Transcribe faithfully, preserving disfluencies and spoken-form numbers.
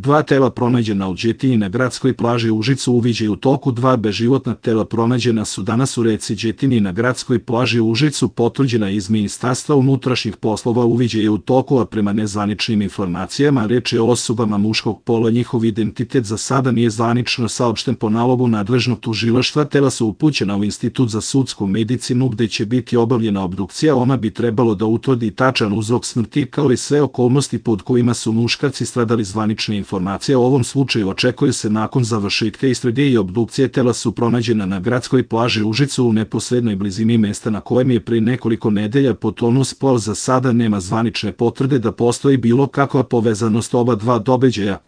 Dva tela pronađena u Đetini na gradskoj plaži u Užicu. Uviđaj u toku. Dva beživotna tela pronađena su danas u reci Đetini na gradskoj plaži u Užicu. Potvrđena iz Ministarstva unutrašnjih poslova. Uviđaj je u toku, a prema nezvaničnim informacijama reč je o osobama muškog pola. Njihov identitet za sada nije zvanično saopšten. Po nalogu nadležnog tužilaštva tela su upućena u Institut za sudsku medicinu gde će biti obavljena obdukcija. Ona bi trebalo da utvrdi tačan uzrok smrti kao i sve okolnosti pod kojima su muškarci stradali. Zvanične informacije o ovom slučaju očekuju se nakon završetka istrage i obdukcije. Tela su pronađena na gradskoj plaži u Užicu u neposrednoj blizini mesta na kojem je pre nekoliko nedelja potonuo spol. Za sada nema zvanične potvrde da postoji bilo kakva povezanost oba dva događaja.